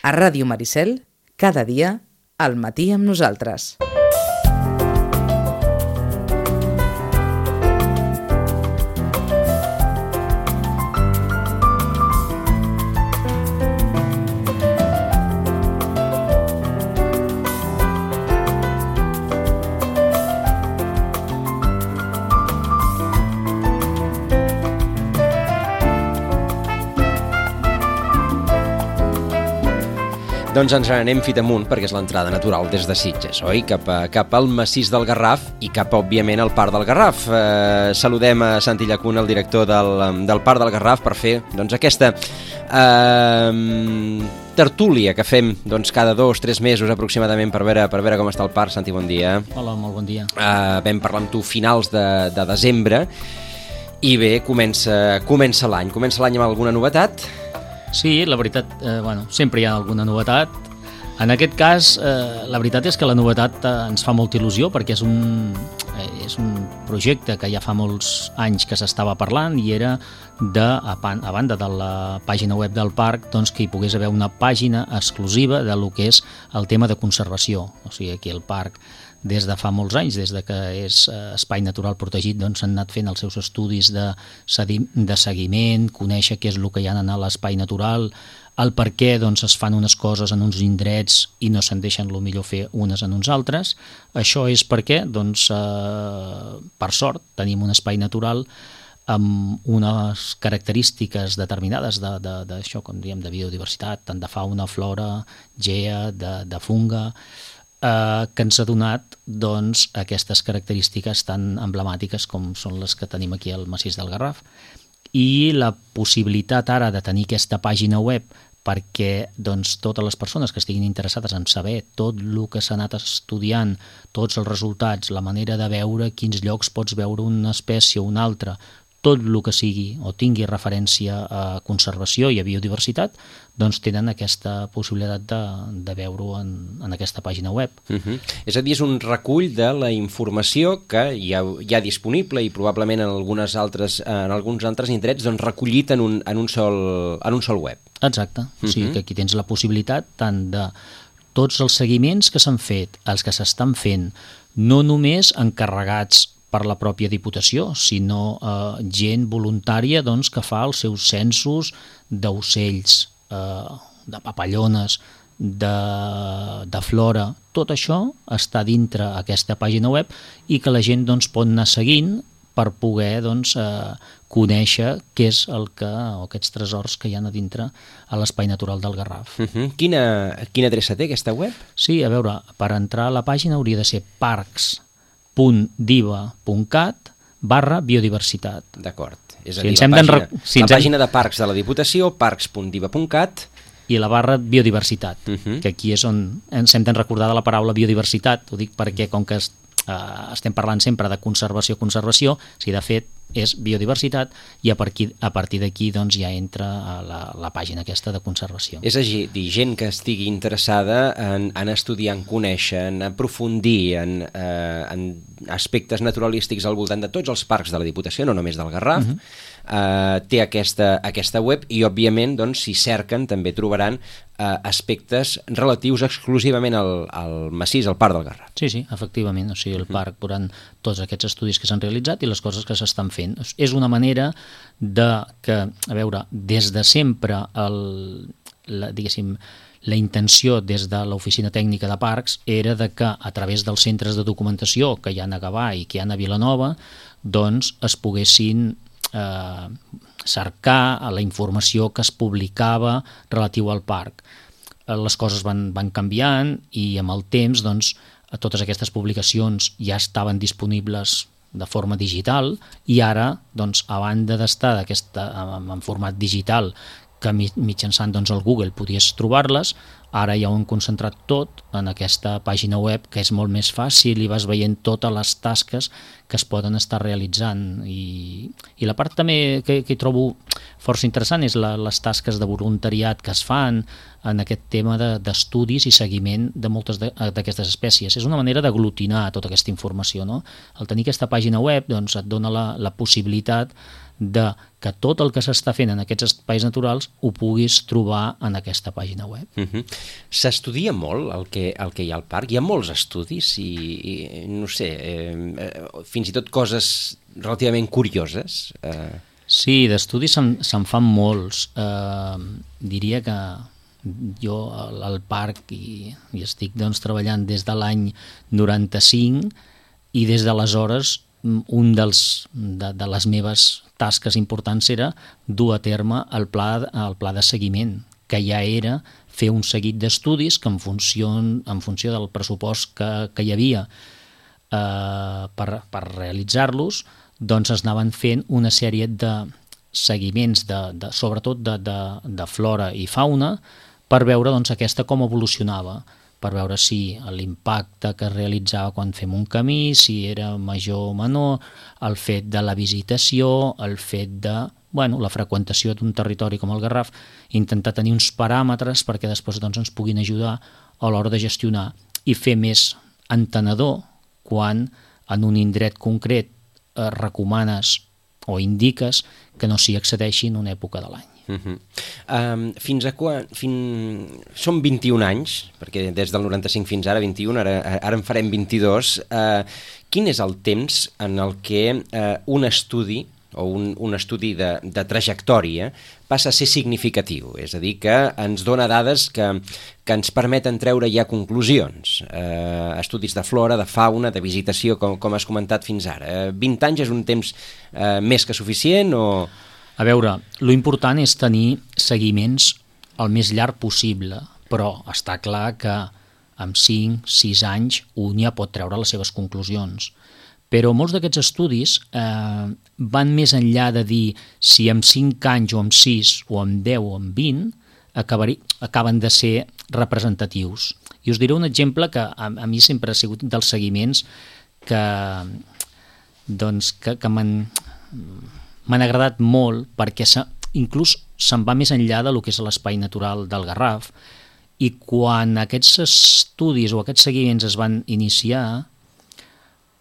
A Ràdio Maricel, cada dia, al matí amb nosaltres. Doncs ens anem fit amunt, perquè és l'entrada natural des de Sitges, oi? Cap al massís del Garraf i cap, òbviament, al Parc del Garraf. Saludem a Santi Llacuna, el director del Parc del Garraf, per fer aquesta tertúlia que fem cada 2 o 3 mesos aproximadament per veure com està el parc. Santi, bon dia. Hola, molt bon dia. Vam parlar amb tu finals de desembre i bé, comença l'any. Comença l'any amb alguna novetat? Sí, la veritat, sempre hi ha alguna novetat. En aquest cas, la veritat és que la novetat ens fa molta il·lusió perquè és un projecte que ja fa molts anys que s'estava parlant i era a banda de la pàgina web del parc, doncs que hi pogués haver una pàgina exclusiva de lo que és el tema de conservació. O sigui, aquí al parc, des de fa molts anys, des de que és espai natural protegit, doncs s'han anat fent els seus estudis de seguiment, conèixer què és el que hi ha a l'espai natural, el per què doncs, es fan unes coses en uns indrets i no se'n deixen el millor fer unes en uns altres. Això és perquè, doncs, per sort, tenim un espai natural amb unes característiques determinades d'això, com diem, de biodiversitat, tant de fauna, flora, gea, de funga, que ens ha donat doncs, aquestes característiques tan emblemàtiques com són les que tenim aquí al massís del Garraf. I la possibilitat ara de tenir aquesta pàgina web perquè doncs, totes les persones que estiguin interessades en saber tot el que s'ha anat estudiant, tots els resultats, la manera de veure quins llocs pots veure una espècie o una altra, tot el que sigui o tingui referència a conservació i a biodiversitat, doncs tenen aquesta possibilitat de veure-ho en aquesta pàgina web. És a dir, és un recull de la informació que hi ha disponible i probablement en alguns altres indrets doncs, recollit en un sol web. Exacte, o sigui que aquí tens la possibilitat tant de tots els seguiments que s'han fet, els que s'estan fent, no només encarregats per la pròpia Diputació, sinó gent voluntària doncs, que fa els seus censos d'ocells, de papallones, de flora. Tot això està dintre aquesta pàgina web i que la gent doncs, pot anar seguint per poder doncs, conèixer què és aquests tresors que hi ha a dintre a l'espai natural del Garraf. Quina adreça té aquesta web? Sí, a veure, per entrar a la pàgina hauria de ser parcs.diva.cat/biodiversitat. D'acord. És a dir, la pàgina de parcs de la Diputació, parcs.diva.cat, i la barra biodiversitat, que aquí és on ens hem de recordar de la paraula biodiversitat. Ho dic perquè com que estem parlant sempre de conservació, si de fet és biodiversitat, i a partir d'aquí doncs, ja entra a la pàgina aquesta de conservació. És a dir, gent que estigui interessada en estudiar, en conèixer, en aprofundir en aspectes naturalístics al voltant de tots els parcs de la Diputació, no només del Garraf, té aquesta web i, òbviament, doncs, si cerquen també trobaran aspectes relatius exclusivament al massís, al Parc del Garraf. Sí, efectivament. O sigui, el parc veuran tots aquests estudis que s'han realitzat i les coses que s'estan fent. És una manera que, a veure, des de sempre, la intenció des de l'oficina tècnica de parcs era de que a través dels centres de documentació que hi ha a Gavà i que hi ha a Vilanova, doncs es poguessin cercar la informació que es publicava relatiu al parc. Les coses van canviant i amb el temps doncs, totes aquestes publicacions ja estaven disponibles de forma digital i ara, doncs, a banda d'estar en format digital que mitjançant doncs, el Google podies trobar-les, ara ja ho hem concentrat tot en aquesta pàgina web que és molt més fàcil i vas veient totes les tasques que es poden estar realitzant. I la part també que hi trobo força interessant és les tasques de voluntariat que es fan en aquest tema d'estudis i seguiment de moltes d'aquestes espècies. És una manera d'aglutinar tota aquesta informació, no? Al tenir aquesta pàgina web doncs, et dona la possibilitat de que tot el que s'està fent en aquests espais naturals ho puguis trobar en aquesta pàgina web. S'estudia molt el que hi ha al parc? Hi ha molts estudis i no sé, fins i tot coses relativament curioses? Sí, d'estudis se'n fan molts. Diria que jo al parc hi estic treballant des de l'any 95 i des d'aleshores un de les meves tasques importants era dur a terme el pla de seguiment, que ja era fer un seguit d'estudis que en funció del pressupost que hi havia per realitzar-los, doncs es anaven fent una sèrie de seguiments, sobretot de flora i fauna, per veure aquesta com evolucionava, per veure si l'impacte que es realitzava quan fem un camí, si era major o menor, el fet de la visitació, el fet de la freqüentació d'un territori com el Garraf, intentar tenir uns paràmetres perquè després ens puguin ajudar a l'hora de gestionar i fer més entenedor quan en un indret concret recomanes o indiques que no s'hi accedeixi en una època de l'any. Fins a quan? Són 21 anys, perquè des del 95 fins ara 21, ara en farem 22. Quin és el temps en el que un estudi o un estudi de trajectòria passa a ser significatiu? És a dir, que ens dona dades que ens permeten treure ja conclusions. Estudis de flora, de fauna, de visitació, com has comentat fins ara. 20 anys és un temps més que suficient o... A veure, lo important és tenir seguiments el més llarg possible, però està clar que amb 5-6 anys un ja pot treure les seves conclusions. Però molts d'aquests estudis van més enllà de dir si amb 5 anys o amb 6 o amb 10 o amb 20 acaben de ser representatius. I us diré un exemple que a mi sempre ha sigut dels seguiments que m'han agradat molt perquè inclús se'n va més enllà del que és l'espai natural del Garraf, i quan aquests estudis o aquests seguiments es van iniciar,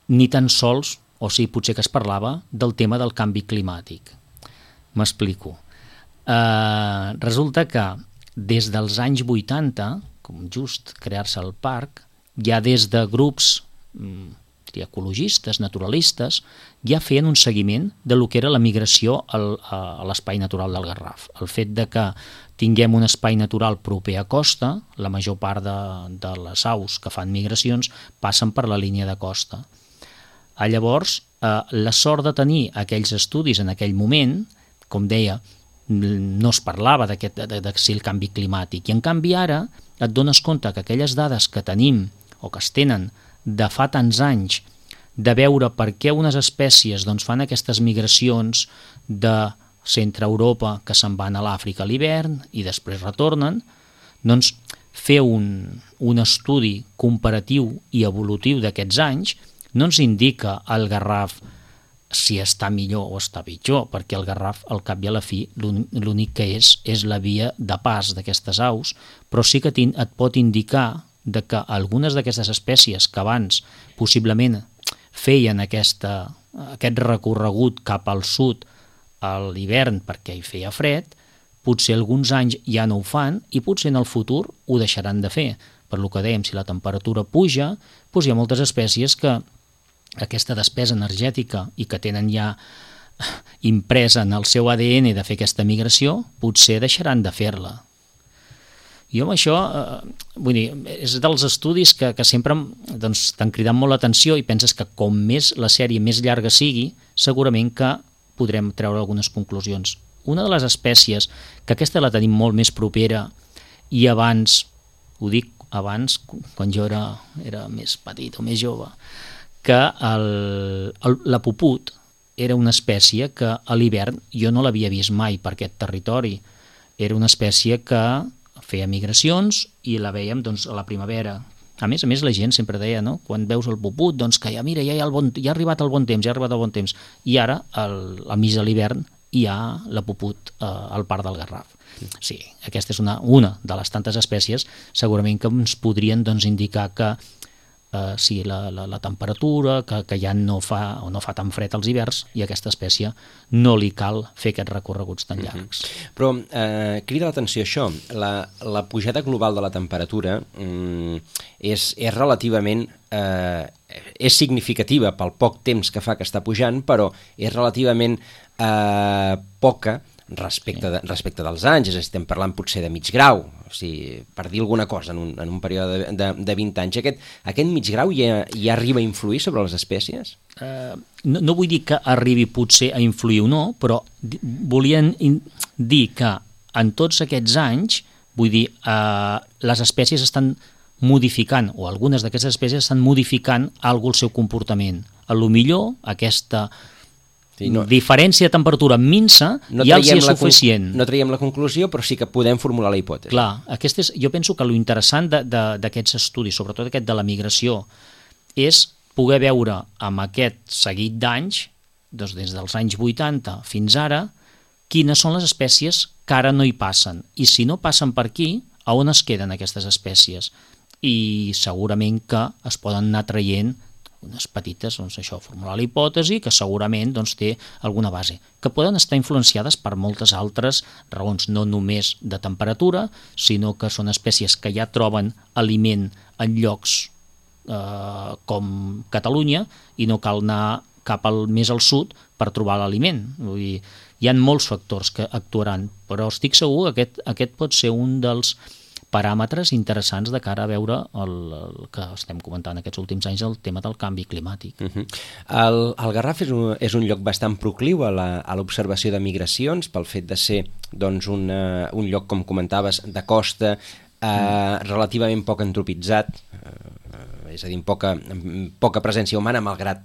ni tan sols, o sigui, potser que es parlava del tema del canvi climàtic. M'explico. Resulta que des dels anys 80, com just crear-se el parc, ja des de grups ecologistes, naturalistes, ja feien un seguiment de lo que era la migració a l'espai natural del Garraf. El fet de que tinguem un espai natural proper a costa, la major part de les aus que fan migracions passen per la línia de costa. Llavors, la sort de tenir aquells estudis en aquell moment, com deia, no es parlava de si el canvi climàtic, i en canvi ara et dones compte que aquelles dades que tenim o que es tenen de fa tants anys, de veure per què unes espècies fan aquestes migracions de centre Europa que se'n van a l'Àfrica a l'hivern i després retornen, doncs fer un estudi comparatiu i evolutiu d'aquests anys no ens indica el Garraf si està millor o està pitjor, perquè el Garraf, al cap i a la fi, l'únic que és la via de pas d'aquestes aus, però sí que et pot indicar de que algunes d'aquestes espècies que abans possiblement feien aquest recorregut cap al sud a l'hivern perquè hi feia fred, potser alguns anys ja no ho fan i potser en el futur ho deixaran de fer. Per lo que dèiem, si la temperatura puja, doncs hi ha moltes espècies que aquesta despesa energètica i que tenen ja impresa en el seu ADN de fer aquesta migració, potser deixaran de fer-la. Jo amb això, vull dir, és dels estudis que sempre t'han cridat molt l'atenció i penses que com més la sèrie més llarga sigui, segurament que podrem treure algunes conclusions. Una de les espècies, que aquesta la tenim molt més propera i abans, ho dic abans, quan jo era més petit o més jove, que la puput era una espècie que a l'hivern jo no l'havia vist mai per aquest territori. Era una espècie que feia migracions i la vèiem a la primavera. A més, la gent sempre deia, no? Quan veus el puput, que ja mira, ja ha arribat el bon temps, i ara, al mig de l'hivern, hi ha la puput al parc del Garraf. Sí, aquesta és una de les tantes espècies segurament que ens podrien indicar que la temperatura, que ja no fa tan fred als hiverns, i a aquesta espècie no li cal fer aquests recorreguts tan llargs. Però crida l'atenció això, la pujada global de la temperatura és relativament... és significativa pel poc temps que fa que està pujant, però és relativament poca respecte dels anys, és a dir, estem parlant potser de mig grau, o sigui, per dir alguna cosa en un període de 20 anys. Aquest mig grau ja arriba a influir sobre les espècies? No vull dir que arribi potser a influir o no, però volien dir que en tots aquests anys, vull dir, les espècies estan modificant, o algunes d'aquestes espècies estan modificant alguna cosa el seu comportament. A lo millor aquesta diferència de temperatura minsa ja els és suficient. No traiem la conclusió, però sí que podem formular la hipòtesi. Clar, jo penso que lo interessant d'aquests estudis, sobretot aquest de la migració, és poder veure amb aquest seguit d'anys, des dels anys 80 fins ara, quines són les espècies que ara no hi passen. I si no passen per aquí, a on es queden aquestes espècies? I segurament que es poden anar traient unes petites, formular la hipòtesi, que segurament té alguna base, que poden estar influenciades per moltes altres raons, no només de temperatura, sinó que són espècies que ja troben aliment en llocs com Catalunya i no cal anar cap més al sud per trobar l'aliment. Vull dir, hi ha molts factors que actuaran, però estic segur que aquest pot ser un dels paràmetres interessants de cara a veure el que estem comentant aquests últims anys, el tema del canvi climàtic. El Garraf és un lloc bastant procliu a l'observació de migracions, pel fet de ser un lloc, com comentaves, de costa, relativament poc antropitzat, és a dir, poca presència humana, malgrat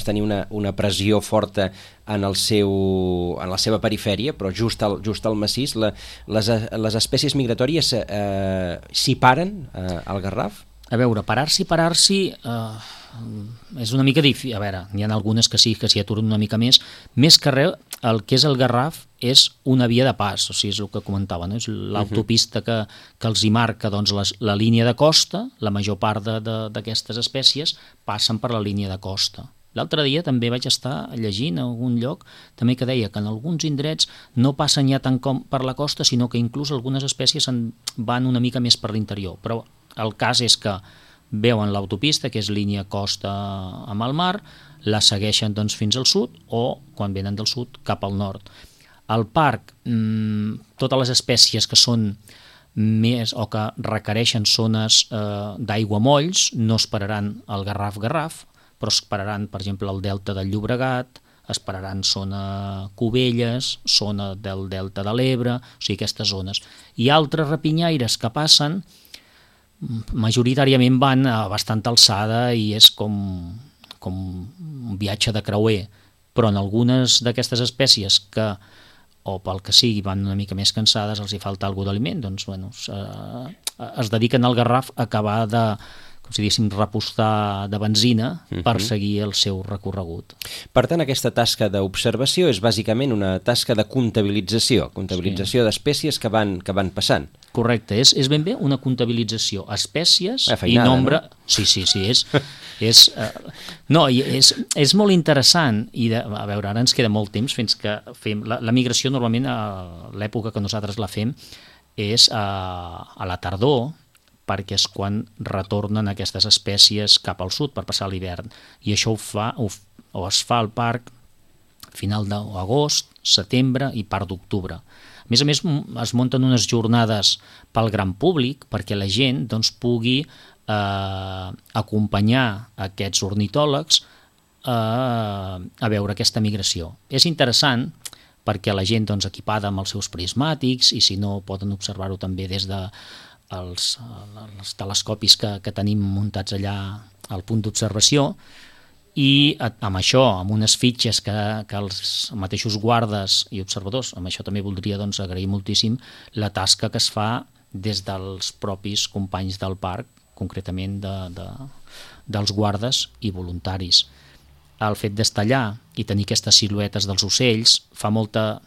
tenir una pressió forta en la seva perifèria, però just al massís. Les espècies migratòries s'hi paren al Garraf? A veure, parar-s'hi és una mica difícil. A veure, n'hi ha algunes que sí, que s'hi aturen una mica més. Més que res, el que és el Garraf és una via de pas, o sigui, és el que comentava, no? És l'autopista que els hi marca la línia de costa. La major part d'aquestes espècies passen per la línia de costa. L'altre dia també vaig estar llegint a algun lloc també que deia que en alguns indrets no passen ja tant com per la costa, sinó que inclús algunes espècies van una mica més per l'interior. Però el cas és que veuen l'autopista, que és línia costa amb el mar, la segueixen fins al sud o, quan venen del sud, cap al nord. Al parc, totes les espècies que són més o que requereixen zones d'aiguamolls no esperaran el Garraf, però esperaran, per exemple, el delta del Llobregat, esperaran zona Cubelles, zona del delta de l'Ebre, o sigui, aquestes zones. I altres rapinyaires que passen, majoritàriament van a bastanta alçada i és com un viatge de creuer, però en algunes d'aquestes espècies que, o pel que sigui, van una mica més cansades, els hi falta alguna d'aliment, es dediquen al Garraf a acabar de, com si diguéssim, repostar de benzina per seguir el seu recorregut. Per tant, aquesta tasca d'observació és bàsicament una tasca de comptabilització d'espècies que van passant. Correcte, és ben bé una comptabilització, espècies i nombre... No? Sí, és molt interessant i a veure, ara ens queda molt temps fins que fem... La migració normalment a l'època que nosaltres la fem és a la tardor, perquè és quan retornen aquestes espècies cap al sud per passar l'hivern. I això es fa al parc final d'agost, setembre i part d'octubre. A més, es munten unes jornades pel gran públic perquè la gent pugui acompanyar aquests ornitòlegs a veure aquesta migració. És interessant perquè la gent equipada amb els seus prismàtics, i si no poden observar-ho també des de els telescopis que tenim muntats allà al punt d'observació, i amb això, amb unes fitxes que els mateixos guardes i observadors, amb això també voldria agrair moltíssim la tasca que es fa des dels propis companys del parc, concretament dels guardes i voluntaris. El fet d'estar allà i tenir aquestes siluetes dels ocells fa molta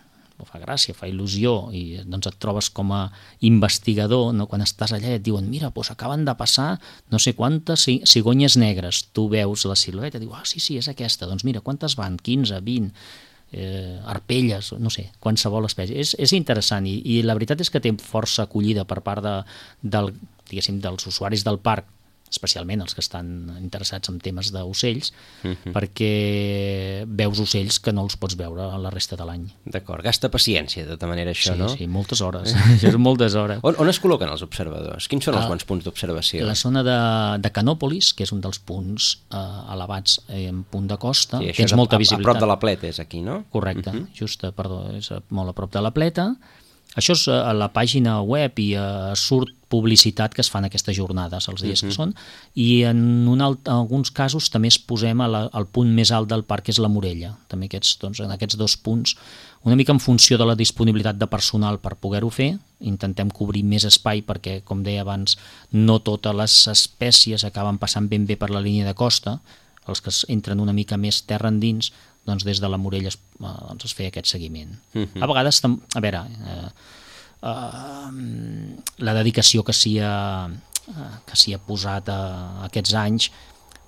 fa gràcia, fa il·lusió, i doncs et trobes com a investigador, no? Quan estàs allà i et diuen, mira, doncs acaben de passar no sé quantes cigonyes negres, tu veus la silueta i dius, sí, és aquesta, doncs mira, quantes van? 15, 20, arpelles, no sé, qualsevol espècie. És interessant i la veritat és que té força acollida per part dels usuaris del parc, especialment els que estan interessats en temes d'ocells, perquè veus ocells que no els pots veure la resta de l'any. D'acord, gasta paciència de tota manera això, no? Sí, moltes hores, això és moltes hores. On es col·loquen els observadors? Quins són els bons punts d'observació? La zona de Canòpolis, que és un dels punts elevats en punt de costa, sí, tens molta visibilitat. A prop de la Pleta és aquí, no? Correcte, és molt a prop de la Pleta. Això és a la pàgina web i surt publicitat que es fan aquestes jornades els dies que són, i en alguns casos també es posem al punt més alt del parc, que és la Morella. També en aquests dos punts, una mica en funció de la disponibilitat de personal per poder-ho fer, intentem cobrir més espai perquè, com deia abans, no totes les espècies acaben passant ben bé per la línia de costa, els que entren una mica més terra endins, doncs des de la Morella es feia aquest seguiment. A vegades, a veure, la dedicació que s'hi ha posat aquests anys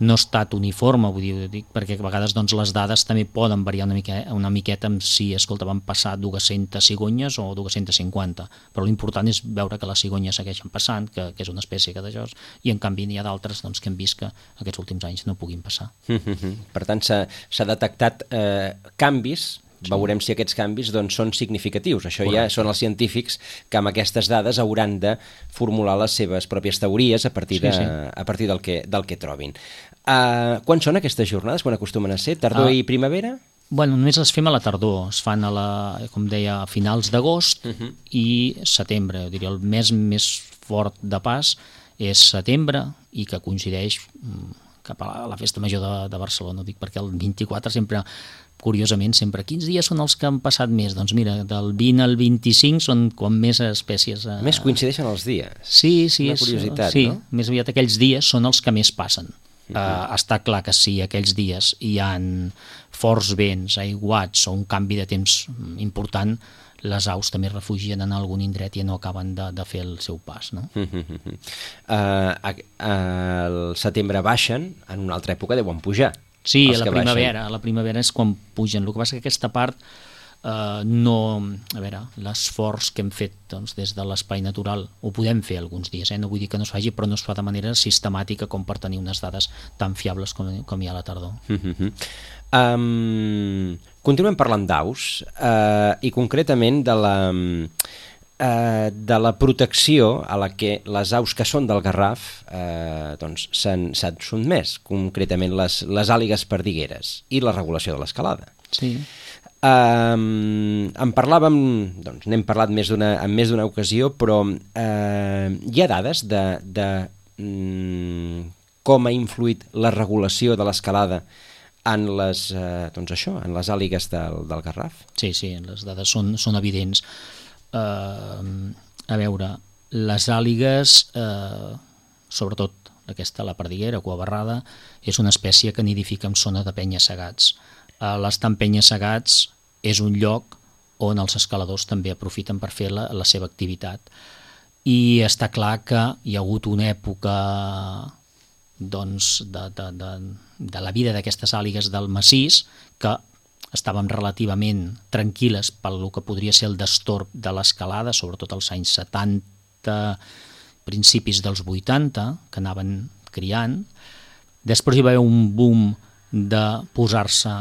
no ha estat uniforme, vull dir, perquè a vegades doncs, les dades també poden variar una miqueta amb si, escolta, van passar 200 cigonyes o 250, però l'important és veure que les cigonyes segueixen passant, que és una espècie que d'això, i en canvi n'hi ha d'altres doncs, que hem vist que aquests últims anys no puguin passar. Per tant, s'ha detectat canvis. Veurem si aquests canvis doncs, són significatius. Això ja són els científics que amb aquestes dades hauran de formular les seves pròpies teories a partir del que trobin. Quan són aquestes jornades? Quan acostumen a ser? Tardor i primavera? Bueno, només les fem a la tardor. Es fan, com deia, a finals d'agost i setembre. Jo diria, el mes més fort de pas és setembre i que coincideix cap a la Festa Major de Barcelona. Ho dic perquè el 24 sempre... Curiosament, sempre, quins dies són els que han passat més? Doncs mira, del 20 al 25 són quan més espècies... Més coincideixen els dies. Sí, una curiositat, sí, no? Més aviat aquells dies són els que més passen. Està clar que si aquells dies hi han forts vents, aiguats o un canvi de temps important, les aus també refugien en algun indret i no acaben de fer el seu pas, no? Al setembre baixen, en una altra època deuen pujar. Sí, a la primavera és quan pugen. El que passa que aquesta part no... A veure, l'esforç que hem fet doncs, des de l'espai natural ho podem fer alguns dies, no vull dir que no es faci, però no es fa de manera sistemàtica com per tenir unes dades tan fiables com hi ha a la tardor. Continuem parlant d'aus i concretament de la protecció a la que les aus que són del Garraf s'han sotmès, concretament les àligues perdigueres i la regulació de l'escalada. Sí. En parlàvem, doncs n'hem parlat en més d'una ocasió, però hi ha dades de com ha influït la regulació de l'escalada en les àligues del Garraf? Sí, les dades són evidents. A veure, les àligues, sobretot aquesta, la perdiguera, cuabarrada, és una espècie que nidifica en zona de penya-segats. L'estar en penya-segats és un lloc on els escaladors també aprofiten per fer la seva activitat. I està clar que hi ha hagut una època doncs, de la vida d'aquestes àligues del massís que estàvem relativament tranquil·les pel que podria ser el destorb de l'escalada, sobretot als anys 70, principis dels 80, que anaven criant. Després hi va haver un boom de posar-se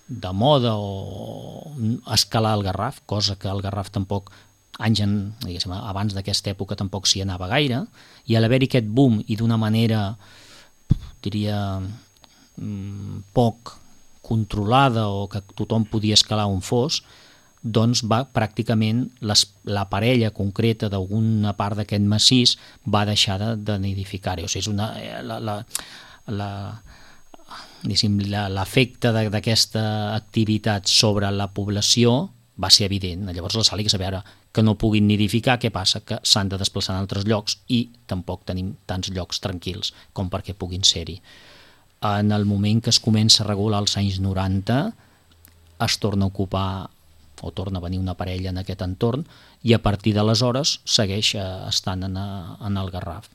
de moda o escalar el Garraf, cosa que el Garraf tampoc, abans d'aquesta època tampoc s'hi anava gaire, i a l'haver-hi aquest boom i d'una manera, diria, poc controlada o que tothom podia escalar on fos, doncs va pràcticament la parella concreta d'alguna part d'aquest massís va deixar de nidificar-hi. O sigui, l'efecte d'aquesta activitat sobre la població va ser evident. Llavors les àligues, a veure, que no puguin nidificar, què passa? Que s'han de desplaçar en altres llocs i tampoc tenim tants llocs tranquils com perquè puguin ser-hi. En el moment que es comença a regular als anys 90 es torna a ocupar o torna a venir una parella en aquest entorn, i a partir d'aleshores segueix estant en el Garraf.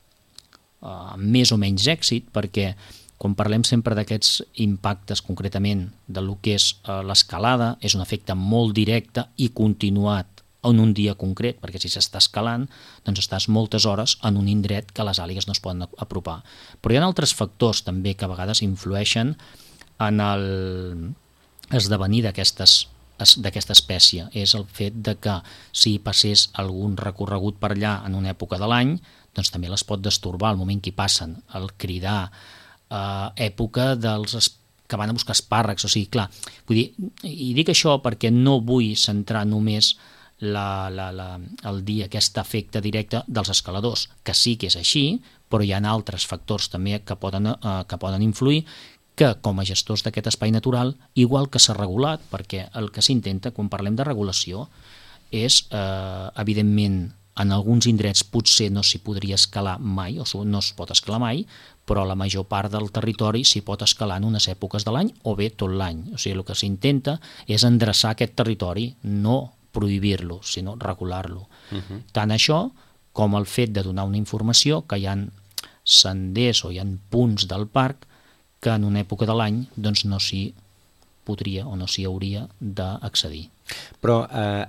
Amb més o menys èxit, perquè quan parlem sempre d'aquests impactes concretament de lo que és l'escalada, és un efecte molt directe i continuat en un dia concret, perquè si s'està escalant, doncs estàs moltes hores en un indret que les àligues no es poden apropar. Però hi ha altres factors també que a vegades influeixen en l'esdevenir d'aquesta espècie. És el fet de que si passés algun recorregut per allà en una època de l'any, doncs també les pot destorbar el moment que hi passen, el cridar, època dels que van a buscar espàrrecs, o sigui, clar, vull dir, i dic això perquè no vull centrar només el dir aquest efecte directe dels escaladors, que sí que és així, però hi ha altres factors també que poden influir, que com a gestors d'aquest espai natural, igual que s'ha regulat, perquè el que s'intenta quan parlem de regulació és, evidentment, en alguns indrets potser no s'hi podria escalar mai, o no es pot escalar mai, però la major part del territori s'hi pot escalar en unes èpoques de l'any o bé tot l'any. O sigui, el que s'intenta és endreçar aquest territori, no prohibir-lo, sinó regular-lo. Tant això com el fet de donar una informació que hi ha senders o hi ha punts del parc que en una època de l'any doncs no s'hi podria o no s'hi hauria d'accedir. Però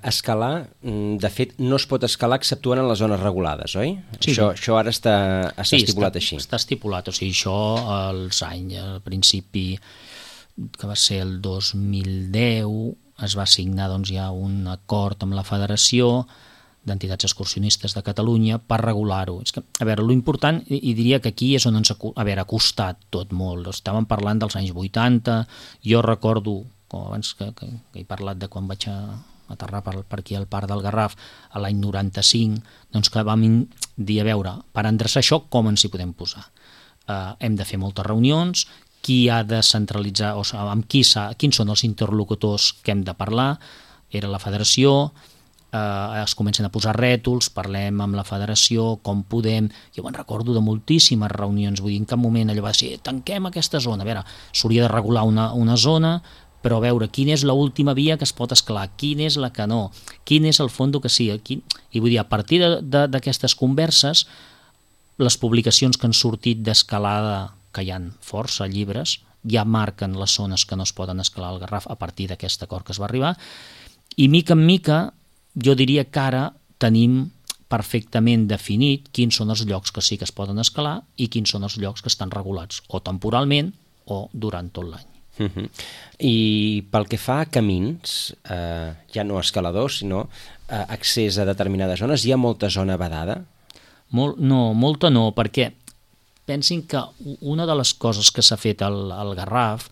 escalar, de fet, no es pot escalar exceptuant en les zones regulades, oi? Sí. Això ara està estipulat així. Sí, està estipulat. O sigui, això als anys, al principi, que va ser el 2010, es va signar doncs, ja un acord amb la Federació d'Entitats Excursionistes de Catalunya per regular-ho. És que, a veure, l'important, i diria que aquí és on ens ha costat tot molt. Estàvem parlant dels anys 80, jo recordo, com abans que he parlat de quan vaig aterrar per aquí al Parc del Garraf a l'any 95, doncs que vam dir, a veure, per endreçar això, com ens hi podem posar? Hem de fer moltes reunions, qui ha de centralitzar, o sigui, amb quins són els interlocutors que hem de parlar, era la Federació, es comencen a posar rètols, parlem amb la Federació, com podem... Jo me'n recordo de moltíssimes reunions, vull dir, en cap moment allò va ser, tanquem aquesta zona, a veure, s'hauria de regular una zona, però a veure quina és l'última via que es pot escalar, quina és la que no, quin és el fondo que sigui. I vull dir, a partir d'aquestes converses, les publicacions que han sortit d'escalada, que hi ha força llibres, ja marquen les zones que no es poden escalar al Garraf a partir d'aquest acord que es va arribar, i mica en mica jo diria que ara tenim perfectament definit quins són els llocs que sí que es poden escalar i quins són els llocs que estan regulats, o temporalment o durant tot l'any. I pel que fa a camins, ja no escaladors, sinó accés a determinades zones, hi ha molta zona vedada? No, molta no, perquè pensin que una de les coses que s'ha fet al Garraf,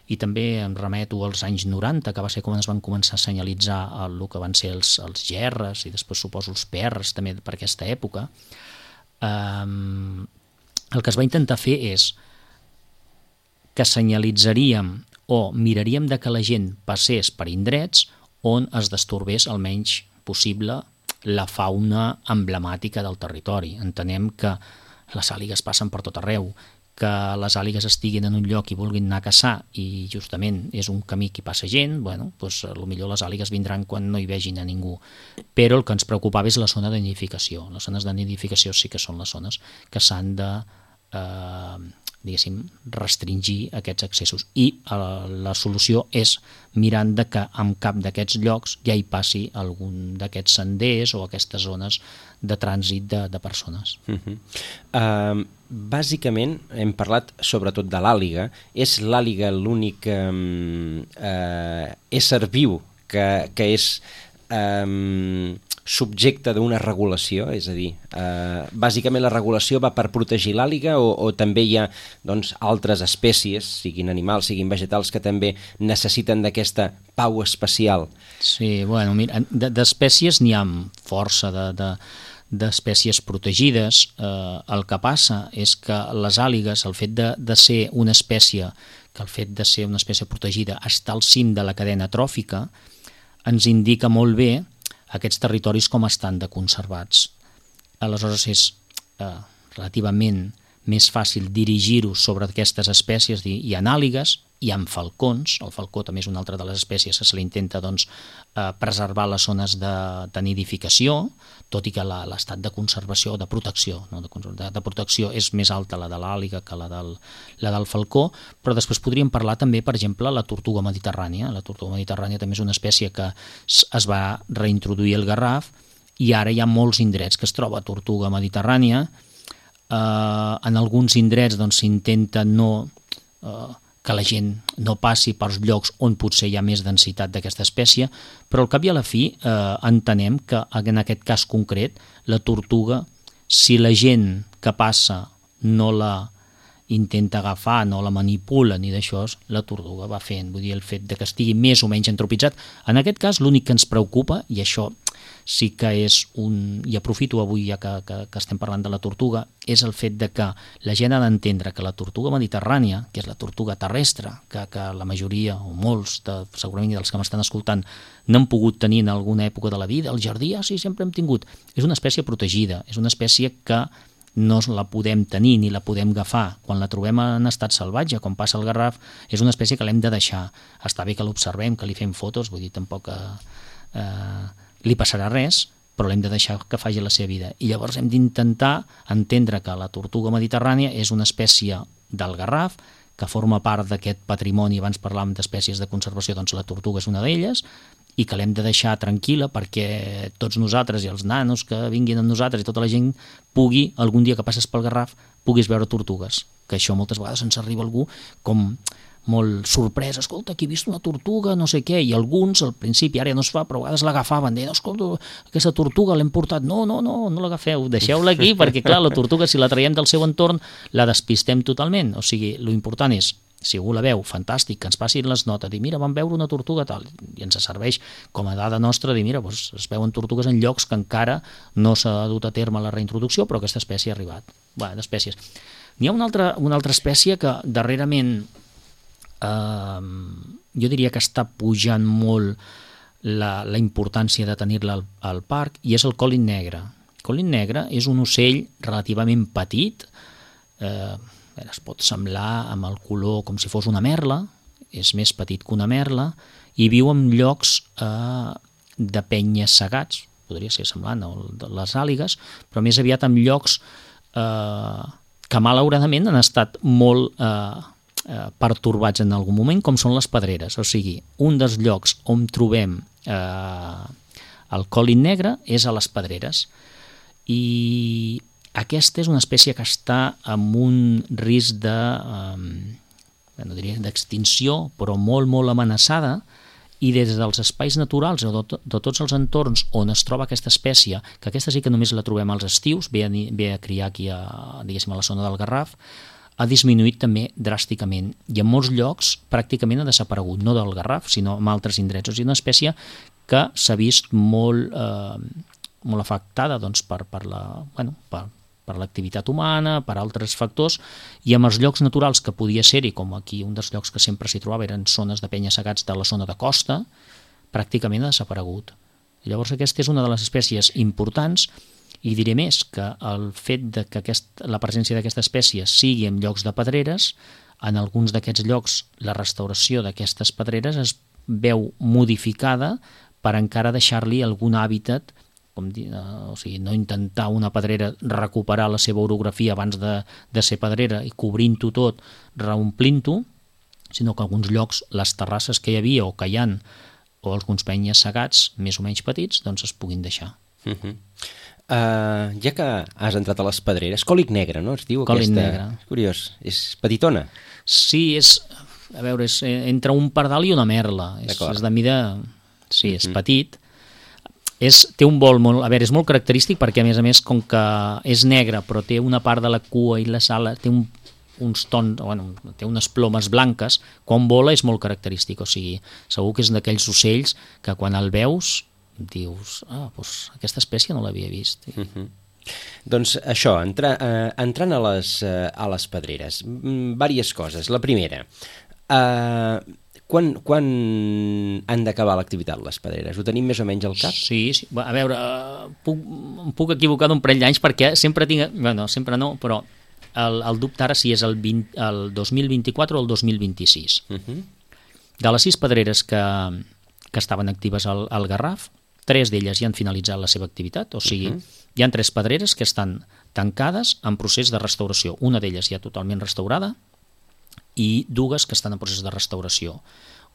i també em remeto als anys 90, que va ser quan es van començar a senyalitzar el que van ser els gerres i després suposo els PRs també per aquesta època, el que es va intentar fer és que senyalitzaríem o miraríem de que la gent passés per indrets on es destorbés el menys possible la fauna emblemàtica del territori. Entenem que les àligues passen per tot arreu, que les àligues estiguin en un lloc i vulguin anar a caçar i justament és un camí que hi passa gent, bueno, doncs potser les àligues vindran quan no hi vegin a ningú. Però el que ens preocupava és la zona de nidificació. Les zones de nidificació sí que són les zones que s'han de diguéssim, restringir aquests accessos. I la solució és mirant de que en cap d'aquests llocs ja hi passi algun d'aquests senders o aquestes zones de trànsit de persones. Bàsicament hem parlat sobretot de l'àliga. És l'àliga l'únic ésser viu que és subjecte d'una regulació, és a dir, bàsicament la regulació va per protegir l'àliga o també hi ha doncs, altres espècies, siguin animals, siguin vegetals, que també necessiten d'aquesta pau especial? Sí, bueno, mira, d'espècies n'hi ha força d'espècies protegides. El que passa és que les àligues, el fet de ser una espècie, que el fet de ser una espècie protegida està al cim de la cadena tròfica, ens indica molt bé aquests territoris com estan de conservats. Aleshores és relativament més fàcil dirigir-ho sobre aquestes espècies i anàligues, hi ha falcons. El falcó també és una altra de les espècies que se li intenta preservar les zones de nidificació, tot i que l'estat de conservació, de protecció, no? de protecció és més alta la de l'àliga que la del falcó, però després podríem parlar també, per exemple, la tortuga mediterrània. La tortuga mediterrània també és una espècie que es va reintroduir al Garraf i ara hi ha molts indrets que es troba tortuga mediterrània. En alguns indrets s'intenta que la gent no passi pels llocs on potser hi ha més densitat d'aquesta espècie, però al cap i a la fi entenem que en aquest cas concret la tortuga, si la gent que passa no la intenta agafar, no la manipula ni d'això, la tortuga va fent. Vull dir, el fet de que estigui més o menys entropitzat. En aquest cas, l'únic que ens preocupa, i això sí que és i aprofito avui ja que estem parlant de la tortuga, és el fet de que la gent ha d'entendre que la tortuga mediterrània, que és la tortuga terrestre, que la majoria, o molts, segurament dels que m'estan escoltant, n'han pogut tenir en alguna època de la vida, al jardí, sí, sempre hem tingut. És una espècie protegida, és una espècie que no la podem tenir ni la podem agafar. Quan la trobem en estat salvatge, com passa al Garraf, és una espècie que l'hem de deixar. Està bé que l'observem, que li fem fotos, vull dir, tampoc li passarà res, però l'hem de deixar que faci la seva vida. I llavors hem d'intentar entendre que la tortuga mediterrània és una espècie del Garraf, que forma part d'aquest patrimoni. Abans parlàvem d'espècies de conservació, doncs la tortuga és una d'elles, i que l'hem de deixar tranquil·la perquè tots nosaltres i els nanos que vinguin amb nosaltres i tota la gent pugui, algun dia que passes pel Garraf, puguis veure tortugues. Que això moltes vegades ens arriba algú com molt sorprès, escolta, aquí he vist una tortuga, no sé què, i alguns al principi, ara ja no es fa, però a vegades l'agafaven, deien, escolta, aquesta tortuga l'hem portat, no l'agafeu, deixeu-la aquí, perquè clar, la tortuga, si la traiem del seu entorn, la despistem totalment. O sigui, l'important és, si algú la veu, fantàstic, que ens passin les notes, dir, mira, vam veure una tortuga, tal, i ens serveix com a dada nostra, dir, mira, doncs es veuen tortugues en llocs que encara no s'ha dut a terme la reintroducció, però aquesta espècie ha arribat. Bé, d'espècies. N'hi ha una altra espècie que darrerament jo diria que està pujant molt la importància de tenir-la al parc, i és el còlin negre. El còlin negre és un ocell relativament petit, es pot semblar amb el color com si fos una merla, és més petit que una merla, i viu en llocs de penyes segats, podria ser semblant a les àligues, però més aviat en llocs que malauradament han estat molt pertorbats en algun moment, com són les pedreres. O sigui, un dels llocs on trobem el còlin negre és a les pedreres, i aquesta és una espècie que està amb un risc no diria d'extinció, però molt, molt amenaçada, i des dels espais naturals o de tots els entorns on es troba aquesta espècie, que aquesta sí que només la trobem als estius, ve a criar aquí a la zona del Garraf, ha disminuït també dràsticament, i en molts llocs pràcticament ha desaparegut, no del Garraf, sinó en altres indrets. O sigui, una espècie que s'ha vist molt afectada per l'activitat humana, per altres factors, i en els llocs naturals que podia ser-hi, com aquí un dels llocs que sempre s'hi trobava eren zones de penya-segats de la zona de costa, pràcticament ha desaparegut. I llavors aquesta és una de les espècies importants, i diré més, que el fet de que la presència d'aquesta espècie sigui en llocs de pedreres, en alguns d'aquests llocs la restauració d'aquestes pedreres es veu modificada per encara deixar-li algun hàbitat, o sigui, no intentar una pedrera recuperar la seva orografia abans de ser pedrera i cobrint-ho tot, reomplint-ho, sinó que en alguns llocs les terrasses que hi havia o que hi ha, o alguns penyes segats més o menys petits, doncs es puguin deixar. Ja que has entrat a les pedreres, còlin negre, no? Es diu còlin aquesta... negre. És curiós, és petitona. Sí, és entre un pardal i una merla. És de mida... Sí, és petit. Té un vol molt... A veure, és molt característic perquè, a més, com que és negre, però té una part de la cua i les ales, té uns tons, té unes plomes blanques, quan vola és molt característic. O sigui, segur que és d'aquells ocells que quan el veus dius, doncs aquesta espècie no l'havia vist. Doncs això, entrant a les pedreres, diverses coses. La primera, quan han d'acabar l'activitat les pedreres? Ho tenim més o menys al cap? Sí. A veure, em puc equivocar d'un parell d'anys perquè sempre tinc... Bueno, sempre no, però el dubte ara si és el 2024 o el 2026. De les 6 pedreres que estaven actives al Garraf, 3 d'elles ja han finalitzat la seva activitat, o sigui, hi ha 3 pedreres que estan tancades en procés de restauració. Una d'elles ja totalment restaurada i 2 que estan en procés de restauració.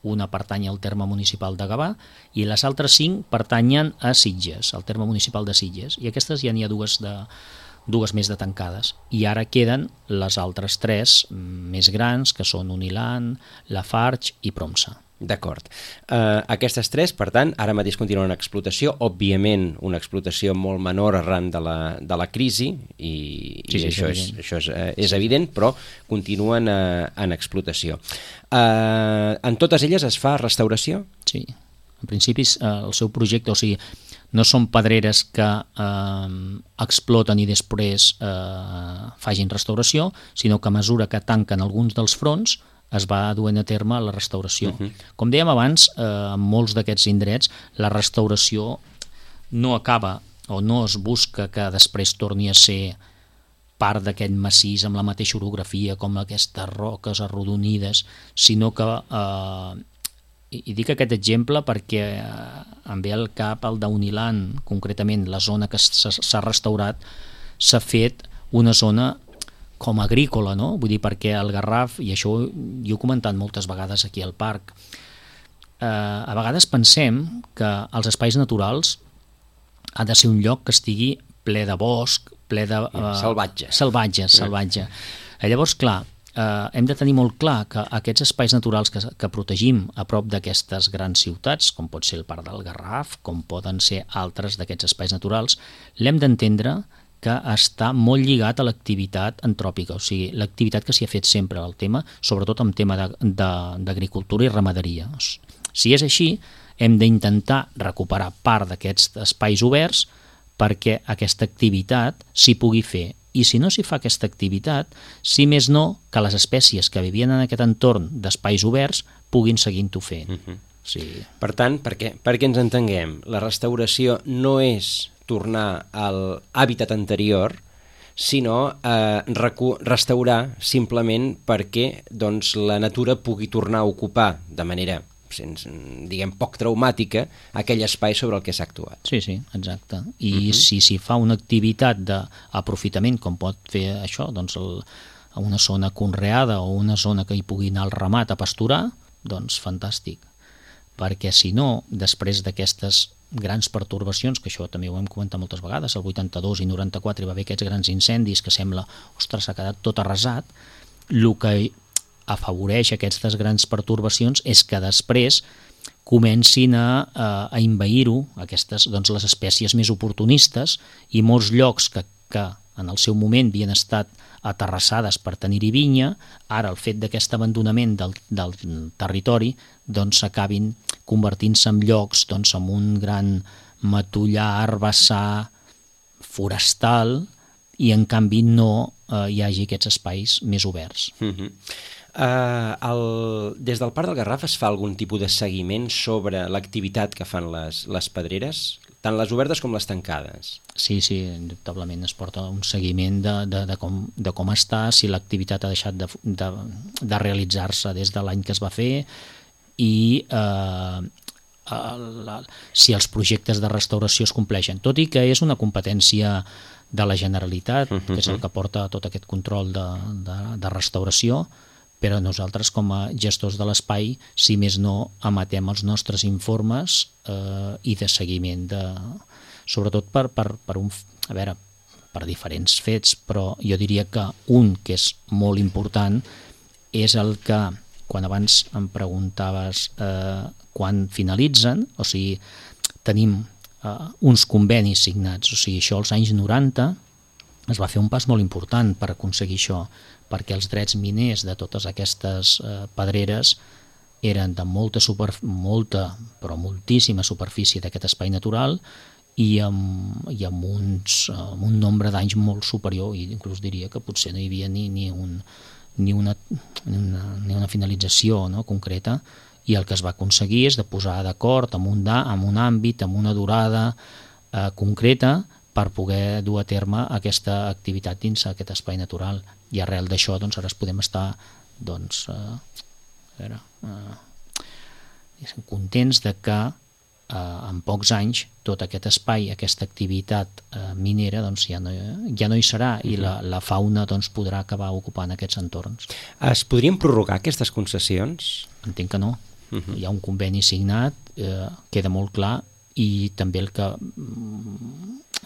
Una pertany al terme municipal de Gavà i les altres 5 pertanyen a Sitges, al terme municipal de Sitges. I aquestes ja n'hi ha 2 més de tancades. I ara queden les altres 3 més grans, que són Unilan, Lafarge i Promsa. D'acord. Aquestes 3, per tant, ara mateix continuen en explotació, òbviament una explotació molt menor arran de la crisi, i això és evident, però continuen en explotació. En totes elles es fa restauració? Sí, en principi el seu projecte, o sigui, no són pedreres que exploten i després facin restauració, sinó que a mesura que tanquen alguns dels fronts es va duent a terme la restauració. Com dèiem abans, en molts d'aquests indrets la restauració no acaba o no es busca que després torni a ser part d'aquest massís amb la mateixa orografia com aquestes roques arrodonides, sinó que, i dic aquest exemple perquè em ve al cap el d'Unilan, concretament la zona que s'ha restaurat, s'ha fet una zona com agrícola, no? Vull dir, perquè el Garraf, i això jo he comentat moltes vegades aquí al parc, a vegades pensem que els espais naturals ha de ser un lloc que estigui ple de bosc, ple de... Salvatge. Llavors, clar, hem de tenir molt clar que aquests espais naturals que protegim a prop d'aquestes grans ciutats, com pot ser el Parc del Garraf, com poden ser altres d'aquests espais naturals, l'hem d'entendre que està molt lligat a l'activitat antròpica, o sigui, l'activitat que s'hi ha fet sempre al tema, sobretot en tema d'agricultura i ramaderia. Si és així, hem d'intentar recuperar part d'aquests espais oberts perquè aquesta activitat s'hi pugui fer. I si no s'hi fa aquesta activitat, si més no, que les espècies que vivien en aquest entorn d'espais oberts puguin seguint-ho fent. Sí. Per tant, perquè ens entenguem, la restauració no és tornar a l'hàbitat anterior, sinó restaurar simplement perquè la natura pugui tornar a ocupar de manera, diguem, poc traumàtica aquell espai sobre el que s'ha actuat. Sí, exacte. I si s'hi fa una activitat d'aprofitament, com pot fer això, doncs a una zona conreada o una zona que hi pugui anar al ramat a pasturar, doncs fantàstic. Perquè si no, després d'aquestes grans pertorbacions, que això també ho hem comentat moltes vegades, el 82 i 94 hi va haver aquests grans incendis que sembla, ostres, s'ha quedat tot arrasat, el que afavoreix aquestes grans pertorbacions és que després comencin a envair-ho les espècies més oportunistes i molts llocs que en el seu moment havien estat aterrassades per tenir-hi vinya, ara el fet d'aquest abandonament del territori s'acabin convertint-se en llocs amb un gran matollar, herbassar, forestal, i en canvi no hi hagi aquests espais més oberts. Des del Parc del Garraf es fa algun tipus de seguiment sobre l'activitat que fan les pedreres, tant les obertes com les tancades? Sí, indubtablement es porta un seguiment de com està, si l'activitat ha deixat de realitzar-se des de l'any que es va fer i si els projectes de restauració es compleixen, tot i que és una competència de la Generalitat, que és el que porta tot aquest control de restauració, però nosaltres com a gestors de l'espai, si més no, emetem els nostres informes i de seguiment, sobretot per diferents fets, però jo diria que un que és molt important és el que, quan abans em preguntaves quan finalitzen, o sigui, tenim uns convenis signats, o sigui, això als anys 90 es va fer un pas molt important per aconseguir això, perquè els drets miners de totes aquestes pedreres eren de però moltíssima superfície d'aquest espai natural i amb un nombre d'anys molt superior, i inclús diria que potser no hi havia ni una finalització concreta, i el que es va aconseguir és de posar d'acord amb un àmbit, amb una durada concreta, per poder dur a terme aquesta activitat dins aquest espai natural. I arrel d'això doncs, ara podem estar doncs, contents de que en pocs anys tot aquest espai, aquesta activitat minera doncs, ja no hi serà i la fauna doncs, podrà acabar ocupant aquests entorns. Es podrien prorrogar aquestes concessions? Entenc que no. Hi ha un conveni signat, queda molt clar, i també el que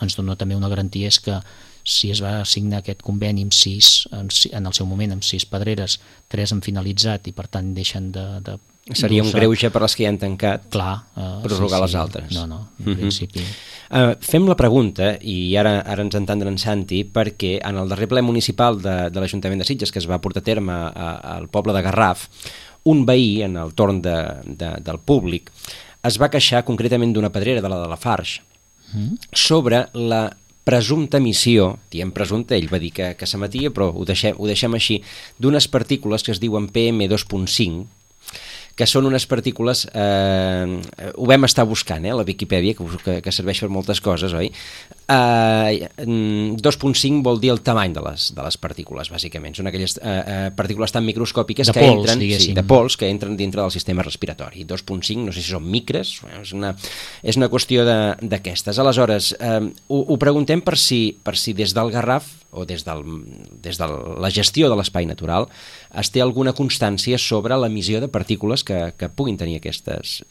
ens dona també una garantia és que si es va signar aquest conveni amb 6, en el seu moment amb 6 pedreres, 3 han finalitzat i per tant deixen de seria un greuge per les que ja han tancat. Clar, prorrogar les altres. No, en principi. Fem la pregunta, i ara ens entendrà en Santi, perquè en el darrer ple municipal de l'Ajuntament de Sitges, que es va portar a terme al poble de Garraf, un veí, en el torn del públic, es va queixar concretament d'una pedrera, de la Farx, sobre la presumpta emissió, diem presumpta, ell va dir que s'emetia, però ho deixem així, d'unes partícules que es diuen PM2.5, que són unes partícules, ho vam estar buscant a la Viquipèdia, que serveix per moltes coses, oi? 2.5 vol dir el tamany de les partícules, bàsicament. Són aquelles partícules tan microscòpiques que entren, de pols, que entren dintre del sistema respiratori. 2.5, no sé si són micres, és una qüestió d'aquestes. Aleshores, ho preguntem per si des del Garraf o des de la gestió de l'espai natural es té alguna constància sobre l'emissió de partícules que puguin tenir aquestes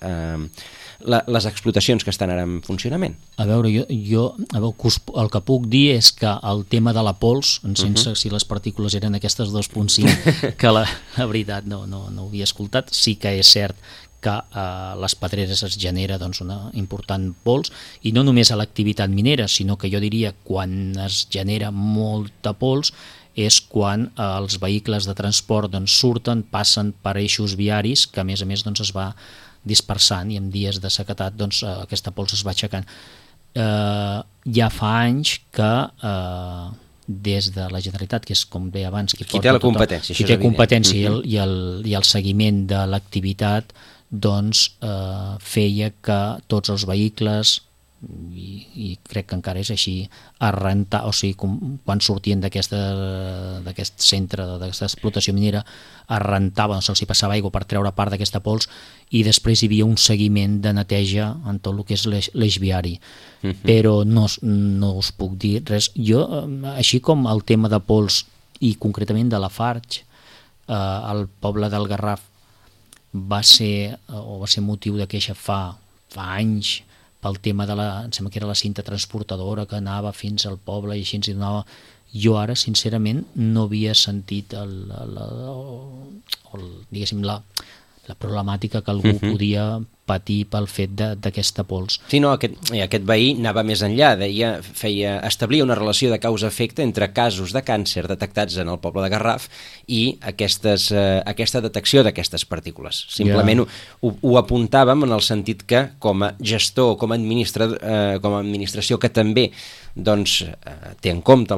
les explotacions que estan ara en funcionament. A veure, jo el que puc dir és que el tema de la pols, sense si les partícules eren aquestes 2.5, que la veritat no ho havia escoltat, sí que és cert que a les pedreres es genera doncs, una important pols, i no només a l'activitat minera, sinó que jo diria quan es genera molta pols és quan els vehicles de transport doncs, surten, passen per eixos viaris, que a més doncs, es va dispersant, i en dies de sequedat doncs, aquesta pols es va aixecant. Ja fa anys que des de la Generalitat, que és com deia abans qui té la competència, qui té competència i el seguiment de l'activitat, doncs feia que tots els vehicles, i crec que encara és així, o sigui, quan sortien d'aquest centre, d'aquesta explotació minera, es rentaven, se'ls passava aigua per treure part d'aquesta pols, i després hi havia un seguiment de neteja en tot el que és l'eix viari. Però no us puc dir res. Jo, així com el tema de pols, i concretament de la Farx, el poble del Garraf va ser motiu de queixa fa anys, pel tema em sembla que era la cinta transportadora que anava fins al poble i així ens hi donava. Jo ara, sincerament, no havia sentit diguéssim, la problemàtica que algú podia patir pel fet d'aquesta pols. Sí, no, aquest veí anava més enllà, establia una relació de causa-efecte entre casos de càncer detectats en el poble de Garraf i aquesta detecció d'aquestes partícules. Simplement ho apuntàvem en el sentit que, com a gestor, com a administració que també doncs, té en compte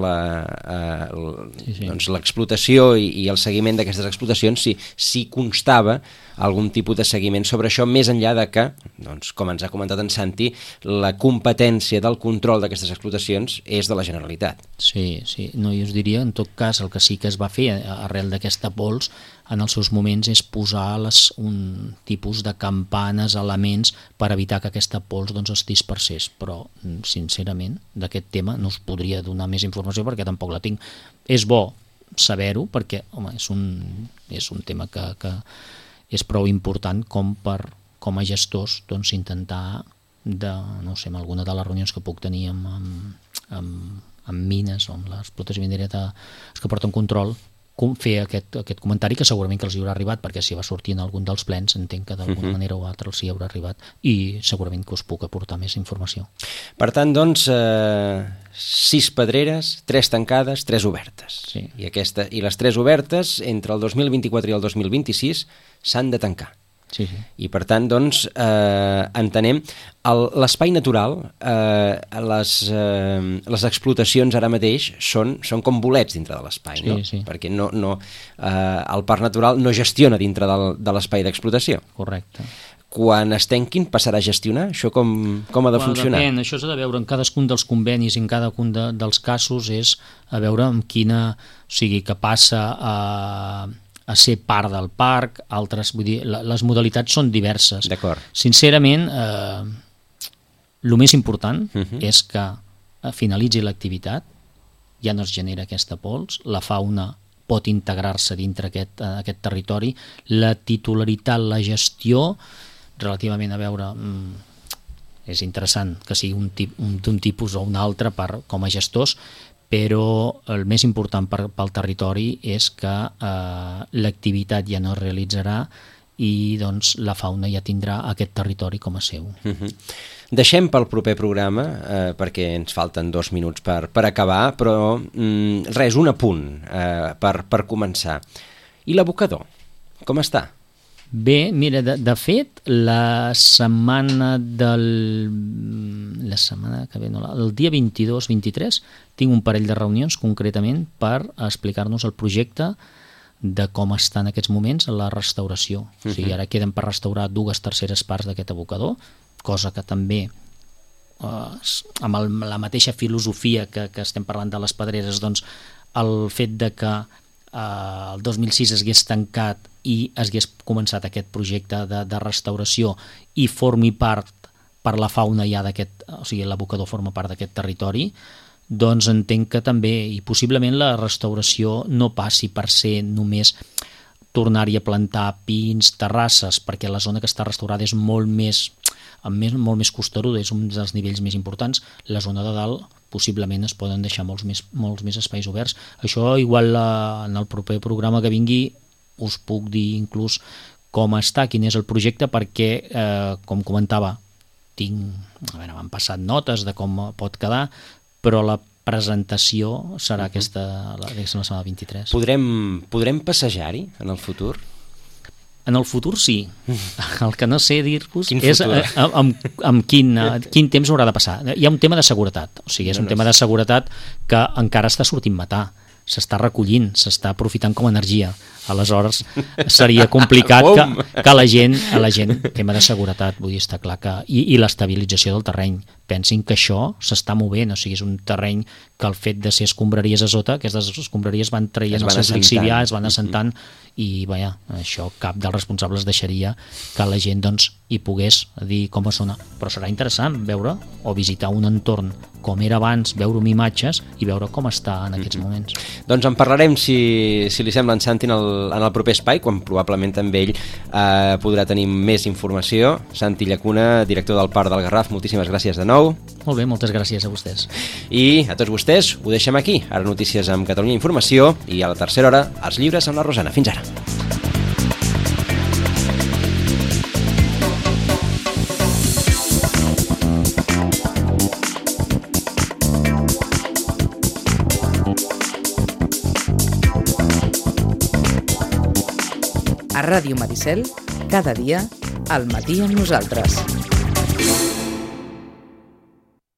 l'explotació i el seguiment d'aquestes explotacions, si constava algun tipus de seguiment sobre això, més enllà de que, doncs, com ens ha comentat en Santi, la competència del control d'aquestes explotacions és de la Generalitat. Sí, no, jo us diria, en tot cas, el que sí que es va fer arrel d'aquesta pols en els seus moments és posar un tipus de campanes, elements, per evitar que aquesta pols doncs, es dispersés, però, sincerament, d'aquest tema no us podria donar més informació perquè tampoc la tinc. És bo saber-ho perquè, home, és un tema que és prou important com a gestors doncs, intentar, no sé, en alguna de les reunions que puc tenir amb mines o amb l'explotació minera que porten control, fer aquest comentari que segurament que els hi haurà arribat, perquè si va sortir en algun dels plens entenc que d'alguna manera o altra els hi haurà arribat, i segurament que us puc aportar més informació. Per tant, doncs, 6 pedreres, 3 tancades, 3 obertes. Sí. I les 3 obertes, entre el 2024 i el 2026, s'han de tancar. Sí. I per tant, doncs, entenem l'espai natural, les explotacions ara mateix són com bolets dintre de l'espai, no? Sí. Perquè el parc natural no gestiona dintre de l'espai d'explotació. Correcte. quan es tanquin passarà a gestionar? Això com ha de funcionar? Depèn, això s'ha de veure en cadascun dels convenis i en cadascun dels casos, és a veure amb quina, o sigui, que passa a ser part del parc, altres, vull dir, les modalitats són diverses. D'acord. Sincerament, el més important és que finalitzi l'activitat, ja no es genera aquesta pols, la fauna pot integrar-se dintre aquest territori, la titularitat, la gestió, relativament a veure, és interessant que sigui d'un tipus o un altre com a gestors, però el més important pel territori és que l'activitat ja no es realitzarà i doncs la fauna ja tindrà aquest territori com a seu. Deixem pel proper programa, perquè ens falten 2 minuts per acabar, però res, un apunt per començar. I l'abocador, com està? Bé, mira, de fet, la setmana que ve, no, el dia 22-23, tinc un parell de reunions concretament per explicar-nos el projecte de com està en aquests moments la restauració. O sigui, ara queden per restaurar 2/3 parts d'aquest abocador, cosa que també, amb la mateixa filosofia que estem parlant de les pedreres, doncs el fet de que el 2006 es hagués tancat i es hagués començat aquest projecte de restauració i formi part per la fauna ja d'aquest, o sigui, l'abocador forma part d'aquest territori, doncs entenc que també, i possiblement la restauració no passi per ser només tornar-hi a plantar pins, terrasses, perquè la zona que està restaurada és molt més costeruda, és un dels nivells més importants. La zona de dalt possiblement es poden deixar molts més espais oberts. Això igual en el proper programa que vingui us puc dir inclús com està, quin és el projecte, perquè, com comentava, m'han passat notes de com pot quedar, però la presentació serà aquesta la setmana 23. Podrem passejar-hi en el futur? En el futur sí. El que no sé dir-vos és amb quin temps haurà de passar. Hi ha un tema de seguretat, o sigui, és un tema de seguretat que encara està sortint matar, s'està recollint, s'està aprofitant com a energia. Aleshores seria complicat que la gent, tema de seguretat, vull dir, està clar que, i l'estabilització del terreny. Pensin que això s'està movent, o sigui, és un terreny que el fet de ser escombraries a sota, aquestes escombraries van traient el seu lixivià, es van assentant, i vaja, això cap dels responsables deixaria que la gent doncs hi pogués dir com a zona. Però serà interessant veure o visitar un entorn com era abans, veure imatges i veure com està en aquests moments. Doncs en parlarem, si li sembla, en Santi, en el proper espai, quan probablement també ell podrà tenir més informació. Santi Llacuna, director del Parc del Garraf, moltíssimes gràcies de nou. Molt bé, moltes gràcies a vostès. I a tots vostès ho deixem aquí. Ara notícies amb Catalunya Informació i a la tercera hora els llibres amb la Rosana. Fins ara. A Ràdio Maricel, cada dia, al matí amb nosaltres.